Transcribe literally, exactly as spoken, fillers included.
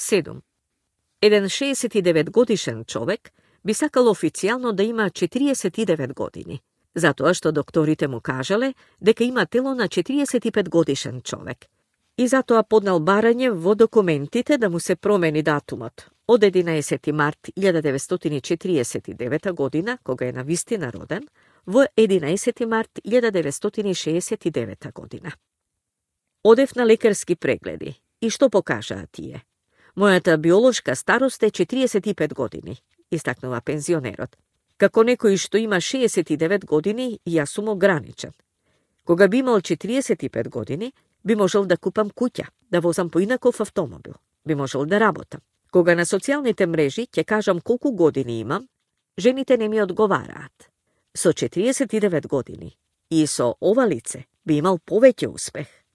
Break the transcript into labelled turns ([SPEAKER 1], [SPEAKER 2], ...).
[SPEAKER 1] седум. Еден шеесет и девет годишен човек би сакал официјално да има четириесет и девет години, затоа што докторите му кажале дека има тело на четириесет и пет годишен човек. И затоа поднал барање во документите да му се промени датумот од единаесети март илјада деветстотини и четириесет и девета година, кога е навистина роден, во единаесети март илјада деветстотини и шеесет и девета година. Одев на лекарски прегледи и што покажаа тие? Мојата биолошка старост е четириесет и пет години, истакнува пензионерот. Како некој што има шеесет и девет години, јас сум ограничен. Кога би имал четириесет и пет години, би можел да купам куќа, да возам поинаков автомобил, би можел да работам. Кога на социјалните мрежи ќе кажам колку години имам, жените не ми одговараат. Со четириесет и девет години и со ова лице би имал повеќе успех.